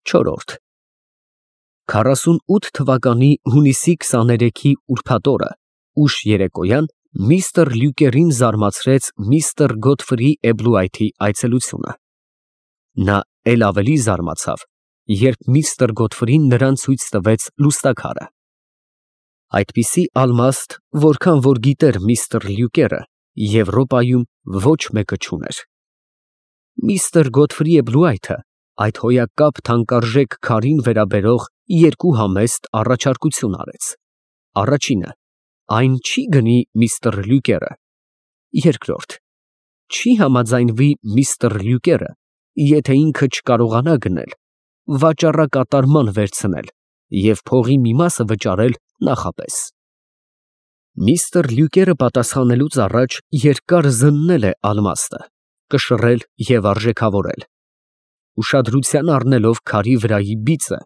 Չորրորդ 48 թվականի հունիսի 23-ի ուրբաթ օրը ուշ երեկոյան միստր Լյուկերին զարմացրեց միստր Գոթֆրի Էբլուայթի այցելությունը։ Նա էլ ավելի զարմացավ, երբ միստր Գոթֆրին նրան ցույց տվեց լուստաքարը։ Այդպիսի ալմաստ, որքան որ գիտեր միստր Լյուկերը, Եվրոպայում ոչ մեկը չուներ։ Միստր Գոթֆրի Էբլուայթը այդ հոյակապ թանկարժեք քարին վերաբերող երկու համեստ առաջարկություն արեց։ Առաջինը, այն չի գնի միստր Լյուկերը։ Երկրորդ, չի համաձայնվի միստր Լյուկերը, եթե ինքը չկարողանա գնել, վաճառակատարման վերցնել և փողի մի մասը վճարել նախապես։ Միստր Լյուկերը պատասխանելուց առաջ երկար զննել է ալմաստը, կշռել և արժեքավորել։ Ուշադրության առնելով քարի վրայի բիծը,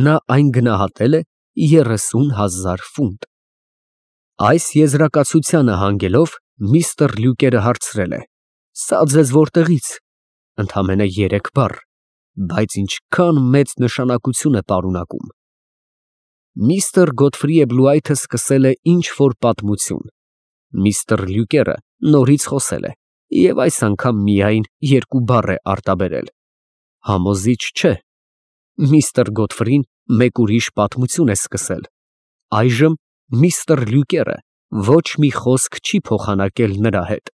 նա այն գնահատել է 30,000 ֆունտ։ Այս եզրակացությանը հանգելով միստր Լյուկերը հարցրել է. «Սա ձեզ որտեղից»։ Ընդամենը 3 բառ, բայց ինչքան մեծ նշանակություն է պարունակում։ Միստր Գոթֆրի Էբլուայթը սկսել է ինչ֊որ պատմություն։ Միստր Լյուկերը նորից խոսել է և այս անգամ միայն 2 բառ է արտաբերել. համոզիչ չէ։ Միստր Գոթֆրին մեկ ուրիշ պատմություն է սկսել։ Այժմ միստր Լյուկերը ոչ մի խոսք չի փոխանակել նրա հետ։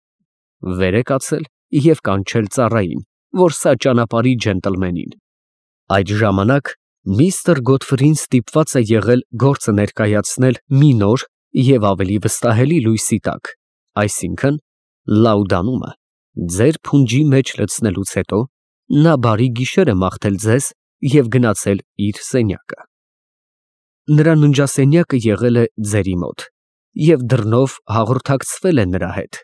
Վեր է կացել և կանչել ծառային, որ սա ճանապարհի ջենտլմենին։ Այդ ժամանակ միստր Գոթֆրին ստիպված է եղել գործը ներկայացնել մի նոր և ավելի վստահելի լույսի տակ, այսինքն՝ լաուդանումը ձեր փունջի մեջ լցնելուց հետո նա բարի գիշեր է մաղթել ձեզ և գնացել իր սենյակը։ Նրա ննջասենյակը եղել է ձերի մոտ և դռնով հաղորդակցվել է նրա հետ։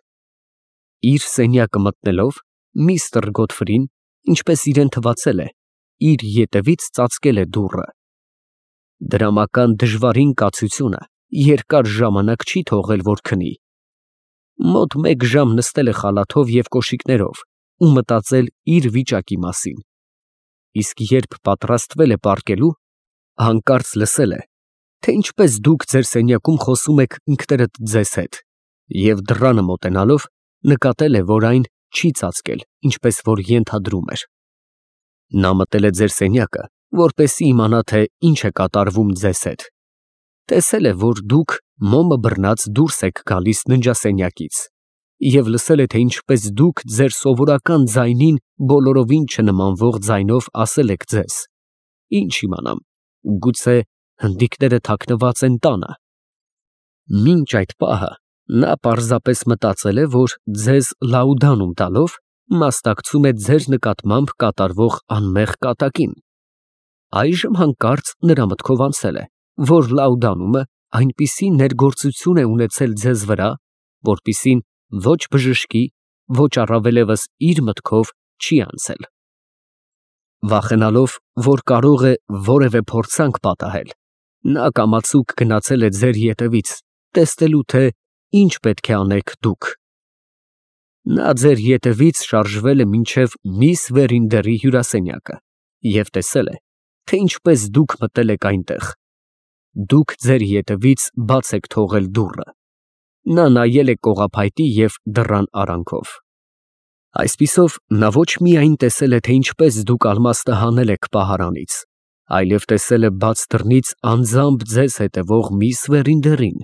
Իր սենյակը մտնելով միստր Գոթֆրին, ինչպես իրան թվացել է, իր ետևից ծածկել է դուռը։ Դրամական դժվարին կացությունը երկար ժամանակ չի թողել, որ քնի։ Մոտ 1 ժամ նստել է խալաթով և կոշիկներով ու մտածել իր վիճակի մասին, իսկ երբ պատրաստվել է պառկելու, հանկարծ լսել է, թե ինչպես դուք ձեր սենյակում խոսում եք ինքներդ ձեզ հետ և դռանը մոտենալով նկատել է, որ այն չի ծածկել, ինչպես որ ենթադրում էր։ Նա մտել է ձեր սենյակը, որպեսզի իմանա, թե ինչ է կատարվում ձեզ հետ։ Տեսել է, որ դուք մոմը բռնած դուրս եք գալիս ննջասենյակից և լսել է, թե ինչպես դուք ձեր սովորական ձայնին բոլորովին չնմանվող ձայնով ասել եք ձեզ. «Ինչ իմանամ, գուցե հնդիկները թաքնված են տանը»։ Մինչ այդ պահը նա պարզապես մտածել է, որ ձեզ լաուդանում տալով մասնակցում է ձեր նկատմամբ կատարվող անմեղ կատակին։ Այժմ հանկարծ նրա մտքով անցել է, որ լաուդանումը այնպիսի ներգործություն է ունեցել ձեզ վրա, որպիսին ոչ բժշկի, ոչ առավելևս իր մտքով չի անցել։ Վախենալով, որ կարող է որևէ փորձանք պատահել, նա կամացուկ գնացել է ձեր ետևից, տեսնելու, թե ինչ պետք է անեք դուք։ Նա ձեր ետևից շարժվել է մինչև միս Վերինդերի հյուրասենյակը և տեսել է, թե ինչպես դուք մտել եք այնտեղ։ Դուք ձեր ետևից բաց եք թողել դուռը։ Նա նայել է կողափայտի և դռան արանքով։ Այսպիսով, նա ոչ միայն տեսել է, թե ինչպես դուք ալմաստը հանել եք պահարանից, այլև տեսել է բաց դռնից անձամբ ձեզ հետևող միս Վերինդերին։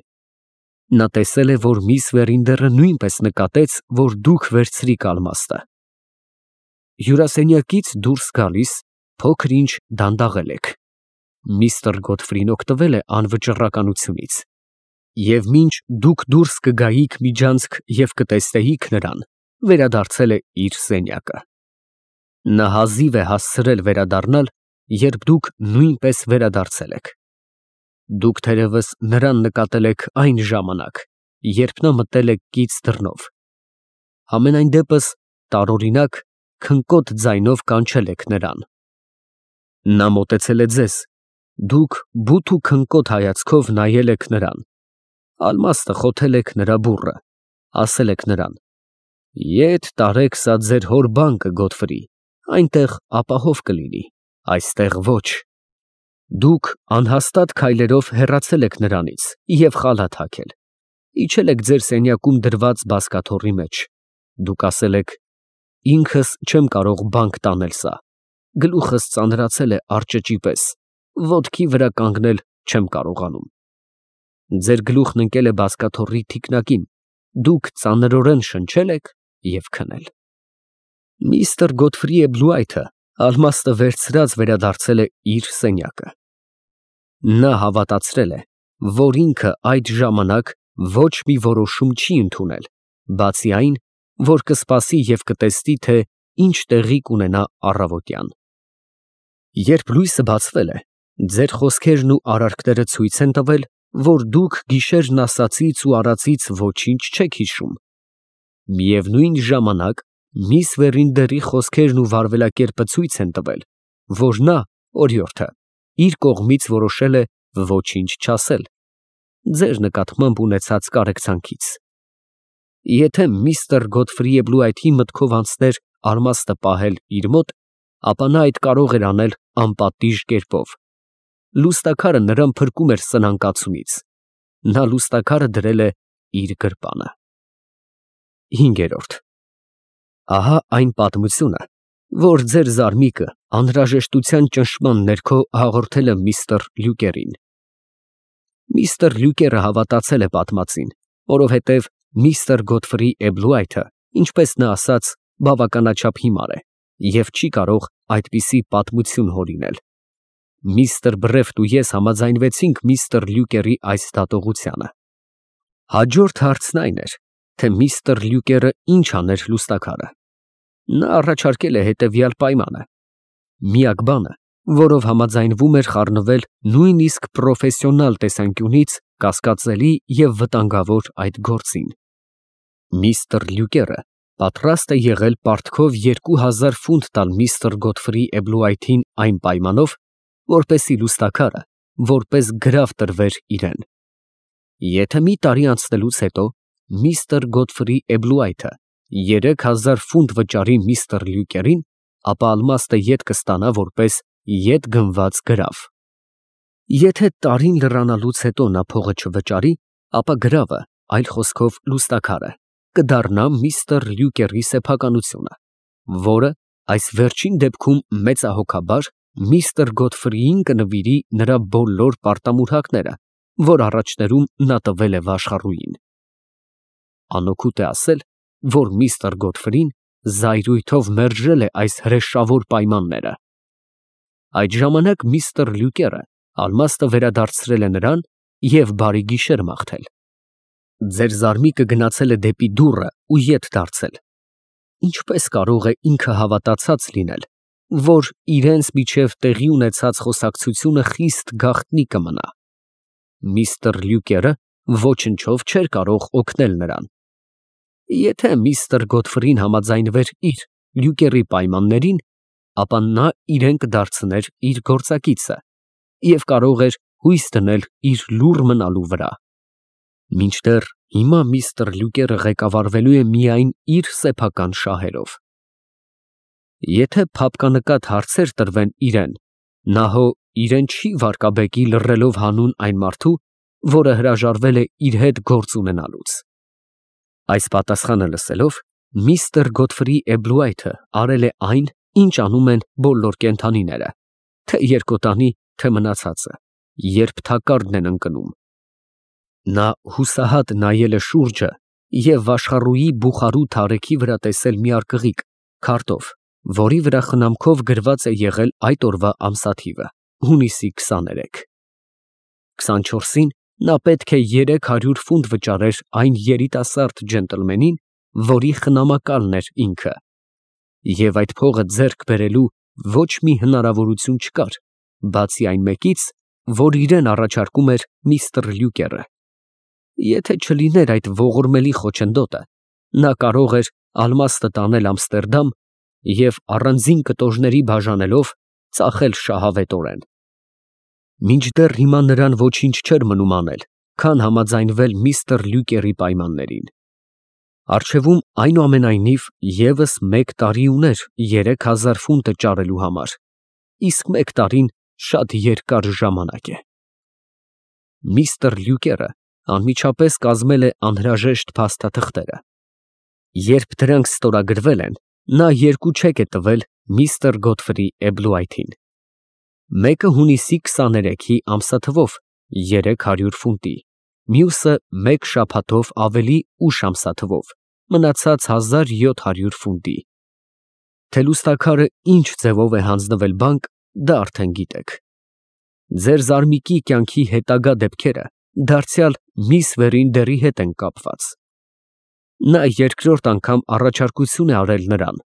Նա տեսել է, որ միս Վերինդերը նույնպես նկատեց, որ դուք վերցրիք ալմաստը։ Հյուրասենյակից դուրս գալիս փոքր֊ինչ դանդաղել եք։ Միստր Գոթֆրին օգտվել է անվճռականությունից և մինչ դուք դուրս կգայիք միջանցք և կտեսնեիք նրան, վերադարձել է իր սենյակը։ Նա հազիվ է հասցրել վերադառնալ, երբ դուք նույնպես վերադարձել եք։ Դուք թերևս նրան նկատել եք այն ժամանակ, երբ նա մտել է կից դռնով։ Համենայն դեպս տարօրինակ քնկոտ ձայնով կանչել եք նրան։ Նա մոտեցել է ձեզ, դուք բութ ու քնկոտ հայացքով նայել եք նրան, ալմաստը խոթել եք նրա բուռը, ասել եք նրան. «Ետ տարեք սա ձեր հոր բանկը, Գոթֆրի, այնտեղ ապահով կլինի»։ այստեղ ոչ։ Դուք անհաստատ քայլերով հեռացել եք նրանից և խալաթ հագել, իջել եք ձեր սենյակում դրված բազկաթոռի մեջ, դուք ասել եք. ինքս չեմ կարող բանկ տանել սա, գլուխս ծանրացել է արճճի պես, ոտքի վրա կանգնել չեմ կարողանում։ Ձեր գլուխն ընկել է բազկաթոռի թիկնակին, դուք ծանրորեն շնչել եք և քնել։ Միստր Գոթֆրի Էբլուայթը ալմաստը վերցրած վերադարձել է իր սենյակը։ Նա հավատացրել է, որ ինքը այդ ժամանակ ոչ մի որոշում չի ընդունել, բացի այն, որ կսպասի և կտեսնի, թե ինչ տեղի կունենա առավոտյան։ Երբ լույսը բացվել է, ձեր խոսքերն ու արարքները ցույց են տվել, որ դուք գիշերն ասածից ու արածից ոչինչ չեք հիշում։ Միևնույն ժամանակ միս Վերինդերի խոսքերն ու վարվելակերպը ցույց են տվել, որ նա, օրիորդը, իր կողմից որոշել է ոչինչ չասել, ձեր նկատմամբ ունեցած կարեկցանքից։ Եթե միստր Գոթֆրի Էբլուայթի մտքով անցներ արմաստը պահել իր մոտ, ապա նա այդ կարող էր անել անպատիժ կերպով։ Լուստաքարը նրան փրկում էր սնանկացումից։ Նա լուստաքարը դրել է իր գրպանը։ 5. Ահա այն պատմությունը, որ ձեր զարմիկը անհրաժեշտության ճնշման ներքո հաղորդել է միստր Լյուկերին։ Միստր Լյուկերը հավատացել է պատմածին, որովհետև միստր Գոթֆրի Էբլուայթը, ինչպես նա ասաց, բավականաչափ հիմար է և չի կարող այդպիսի պատմություն հորինել։ Միստր Բրեֆտ ու ես համաձայնվեցինք միստր Լյուկերի այս դատողությանը։ Հաջորդ հարցն այն էր, թե միստր Լյուկերը ինչ աներ լուստաքարը։ Նա առաջարկել է հետևյալ պայմանը. միակ բանը, որով համաձայնվում էր խառնվել նույնիսկ պրոֆեսիոնալ տեսանկյունից կասկածելի և վտանգավոր այդ գործին։ Միստր Լյուկերը պատրաստ է եղել պարտքով 2000 ֆունտ տալ միստր Գոթֆրի Էբլուայթին այն պայմանով, որպեսզի լուստաքարը որպես գրավ տրվեր իրեն։ Եթե մի տարի անցնելուց հետո միստր Գոթֆրի Էբլուայթը 3000 ֆունտ վճարի միստր Լյուկերին, ապա ալմաստը ետ կստանա որպես ետ գնված գրավ։ Եթե տարին լրանալուց հետո նա փողը չվճարի, ապա գրավը, այլ խոսքով լուստաքարը, կդառնա միստր Լյուկերի սեփականությունը, որը այս վերջին դեպքում մեծահոգաբար միստր Գոթֆրիին կնվիրի նրա բոլոր պարտամուրհակները, որ առաջներում նա տվել է վաշխառուին։ Անօգուտ է ասել, որ միստր Գոթֆրին զայրույթով մերժել է այս հրեշավոր պայմանները։ Այդ ժամանակ միստր Լյուկերը ալմաստը վերադարձրել է նրան և բարի գիշեր մաղթել։ Ձեր զարմիկը գնացել է դեպի դուռը ու ետ դարձել։ Ինչպես կարող է ինքը հավատացած լինել, որ իրենց միջև տեղի ունեցած խոսակցությունը խիստ գաղտնի կմնա։ Միստր Լյուկերը ոչնչով չէր կարող օգնել նրան։ Եթե միստր Գոթֆրին համաձայնվեր իր Լյուկերի պայմաններին, ապա նա իրեն կդարձներ իր գործակիցը և կարող էր հույս դնել իր լուռ մնալու վրա։ Մինչդեռ հիմա միստր Լյուկերը ղեկավարվելու է միայն իր սեփական շահերով։ Եթե փափկանկատ հարցեր տրվեն իրեն, նա հո իրեն չի վարկաբեկի լռելով հանուն այն մարդու, որը հրաժարվել է իր հետ գործ ունենալուց։ Այս պատասխանը լսելով, միստր Գոթֆրի Էբլուայթը արել է այն, ինչ անում են բոլոր կենդանիները, թե երկոտանի, թե մնացածը, երբ թակարդն են ընկնում։ Նա հուսահատ նայել է շուրջը և աշխարհուի բուխարու թարեքի վրա տեսել մի արկղիկ քարտով, որի վրա խնամքով գրված է եղել այդ օրվա ամսաթիվը՝ հունիսի 23։ 24-ին նա պետք է 300 ֆունտ վճարեր այն երիտասարդ ջենտլմենին, որի խնամակալն էր ինքը, և այդ փողը ձեռք բերելու ոչ մի հնարավորություն չկար, բացի այն մեկից, որ իրեն առաջարկում էր միստր Լյուկերը։ Եթե չլիներ այդ ողորմելի խոչընդոտը, նա կարող էր ալմաստը տանել Ամստերդամ և առանձին կտորների բաժանելով ծախել շահավետորեն։ Մինչդեռ հիմա նրան ոչինչ չէր մնում անել, քան համաձայնվել միստր Լյուկերի պայմաններին։ Առջևում այնուամենայնիվ ևս մեկ տարի ուներ 3000 ֆունտը ճարելու համար։ իսկ 1 տարին շատ երկար ժամանակ է։ Միստր Լյուկերը անմիջապես կազմել է անհրաժեշտ փաստաթղթերը։ Երբ դրանք ստորագրվել են, նա 2 չեք է տվել միստր Գոթֆրի Էբլուայթին։ Մեկը հունիսի 23-ի ամսաթվով 300 ֆունտի, մյուսը 1 շաբաթով ավելի ուշ ամսաթվով, մնացած 1700 ֆունտի։ Թե լուսանկարը ինչ ձևով է հանձնվել բանկ, դա արդեն գիտեք։ Ձեր զարմիկի կյանքի հետագա դեպքերը դարձյալ միս Վերինդերի հետ են կապված։ Նա երկրորդ անգամ առաջարկություն է արել նրան,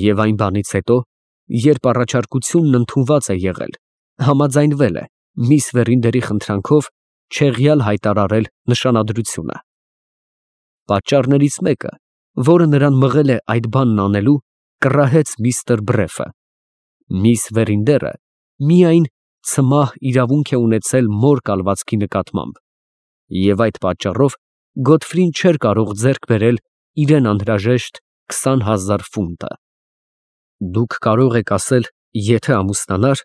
և այն բանից հետո, երբ առաջարկությունն ընդունված է եղել, համաձայնվել է միս Վերինդերի խնդրանքով չեղյալ հայտարարել նշանադրությունը։ Պատճառներից մեկը, որը նրան մղել է այդ բանն անելու, կռահեց միստր Բրեֆը։ Միս Վերինդերը միայն ցմահ իրավունք է ունեցել մոր կալվածքի նկատմամբ, և այդ պատճառով Գոթֆրին չէր կարող ձեռք բերել իրեն անհրաժեշտ 20,000 ֆունտը։ Դուք կարող եք ասել, եթե ամուսնանար,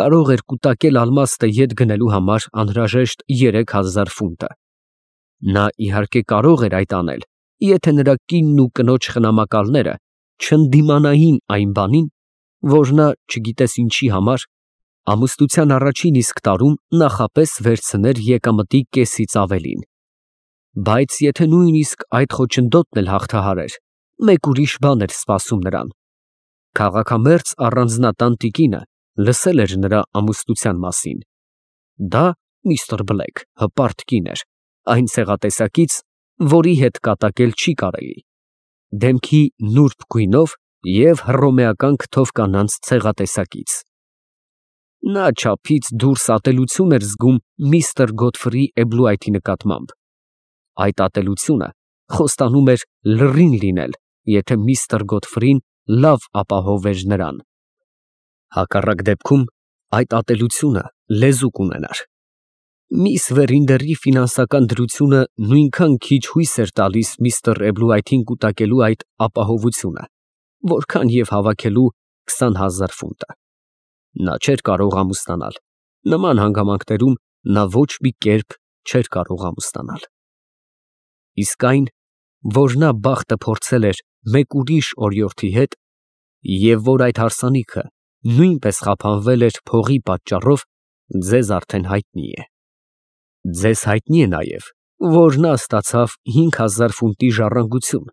կարող էր կուտակել ալմաստը ետ գնելու համար անհրաժեշտ 3,000 ֆունտը։ Նա իհարկե կարող էր այդ անել, եթե նրա կինն ու կնոջ խնամակալները չընդդիմանային այն բանին, որ նա, չգիտես ինչի համար, ամուսնության առաջին իսկ տարում նախապես վերցներ եկամտի կեսից ավելին։ Բայց եթե նույնիսկ այդ խոչընդոտն էլ հաղթահարեր, մեկ ուրիշ բան էր սպասում նրան։ Քաղաքամերձ առանձնատան տիկինը լսել էր նրա ամուսնության մասին։ Դա միստր Բլեք հպարտ կին էր, այն ցեղատեսակից, որի հետ կատակել չի կարելի, դեմքի նուրբ գույնով և հռոմեական քթով կանանց ցեղատեսակից։ Նա չափից դուրս ատելություն էր զգում միստր Գոթֆրի Էբլուայթի նկատմամբ։ Այդ ատելությունը խոստանում էր լռին լինել, եթե միստր Գոթֆրին լավ ապահովեր նրան։ Հակառակ դեպքում այդ ատելությունը լեզու կունենար։ Միս Վերինդերի ֆինանսական դրությունը նույնքան քիչ հույս էր տալիս միստր Էբլուայթին կուտակելու այդ ապահովությունը, որքան և հավաքելու 20,000 ֆունտը։ Նա չէր կարող ամուսնանալ։ Նման հանգամանքներում նա ոչ մի կերպ չէր կարող ամուսնանալ։ Իսկ այն, որ նա բախտը փորձել էր մեկ ուրիշ օրիորդի հետ, և որ այդ հարսանիքը նույնպես խափանվել էր փողի պատճառով, ձեզ արդեն հայտնի է։ Ձեզ հայտնի է նաև, որ նա ստացավ 5,000 ֆունտի ժառանգություն,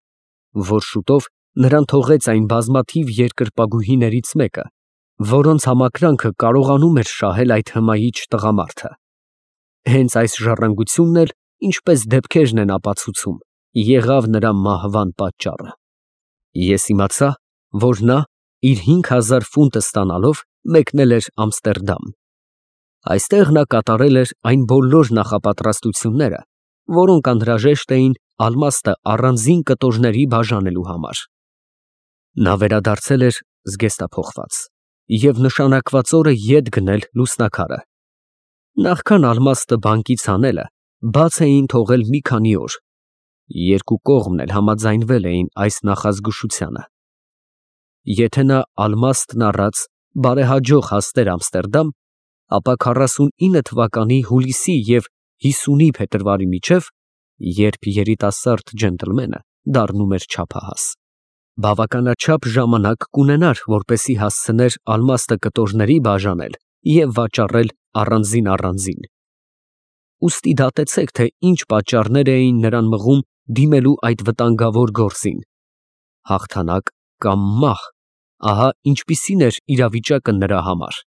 որ շուտով նրան թողեց այն բազմաթիվ երկրպագուհիներից մեկը, որոնց համակրանքը կարողանում էր շահել այդ հմայիչ տղամարդը։ Հենց այս ժառանգությունն էլ, ինչպես դեպքերն են ապացուցում, եղավ նրա մահվան պատճառը։ Ես իմացա, որ նա իր 5,000 ֆունտը ստանալով մեկնել էր Ամստերդամ։ Այստեղ նա կատարել էր այն բոլոր նախապատրաստությունները, որոնք անհրաժեշտ էին ալմաստը առանձին կտորների բաժանելու համար։ Նա վերադարձել էր զգեստափոխված և նշանակված օրը ետ գնել լուսանկարը։ Նախքան ալմաստը բանկից անելը, բաց էին թողել մի քանի օր։ Երկու կողմն էլ համաձայնվել էին այս նախազգուշությանը։ Եթե նա ալմաստն առած բարեհաջող հասներ Ամստերդամ, ապա 49 թվականի հուլիսի և 50-ի փետրվարի միջև, երբ երիտասարդ ջենտլմենը դառնում էր չափահաս, բավականաչափ ժամանակ կունենար, որպեսզի հասցներ ալմաստը կտորների բաժանել և վաճառել առանձին։ Ուստի դատեցեք, թե ինչ պատճառներ էին նրան մղում դիմելու այդ վտանգավոր գործին։ Հաղթանակ կամ մահ, ահա ինչպիսին էր իրավիճակը նրա համար։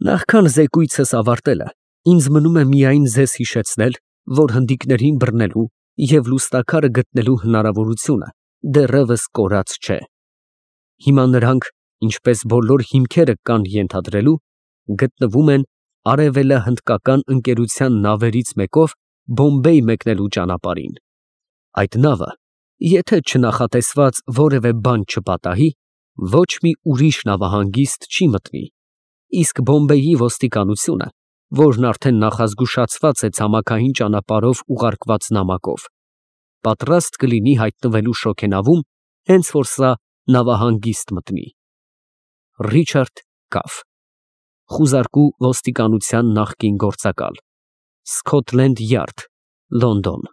Նախքան զեկույցս ավարտելը, ինձ մնում է միայն ձեզ հիշեցնել, որ հնդիկներին բռնելու և լուսանկարը գտնելու հնարավորությունը դեռևս կորած չէ։ Հիմա նրանք, ինչպես բոլոր հիմքերը կան ենթադրելու, գտնվում են արևելահնդկական ընկերության նավերից մեկով Բոմբեյ մեկնելու ճանապարհին։ Այդ նավը, եթե չնախատեսված որևէ բան չպատահի, ոչ մի ուրիշ նավահանգիստ չի մտնի, իսկ Բոմբեյի ոստիկանությունը, որն արդեն նախազգուշացված է ցամաքային ճանապարհով ուղարկված նամակով, պատրաստ կլինի հայտնվելու շոգենավում, հենց որ սա նավահանգիստ մտնի։ Ռիչարդ կավ։ Խուզարկու ոստիկանության նախկին գործակալ, Սքոթլենդ Յարդ, Լոնդոն։